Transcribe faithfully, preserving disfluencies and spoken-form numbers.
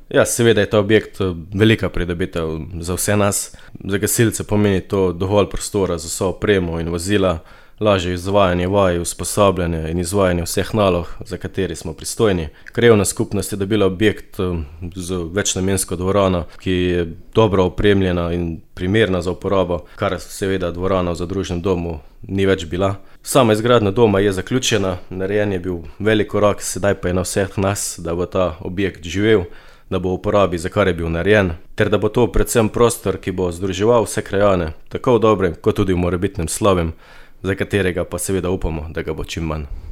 Ja, seveda je ta objekt velika pridobitev za vse nas. Za gasilce pomeni to dovolj prostora za vso opremo in vozila, lažje izvajanje vaj, usposabljanje in izvajanje vseh nalog, za katere smo pristojni. Krajevna skupnost je dobila objekt z večnamensko dvorano, ki je dobro opremljena in primerna za uporabo, kar seveda dvorana v zadružnem domu ni več bila. Sama izgradnja doma je zaključena, narejen je bil velik korak, sedaj pa je na vseh nas, da bo ta objekt živel, da bo v uporabi, za kar je bil narejen, ter da bo to predvsem prostor, ki bo združeval vse krajane, tako v dobrem kot tudi v morebitnem slabem, za katerega pa seveda upamo, da ga bo čim manj.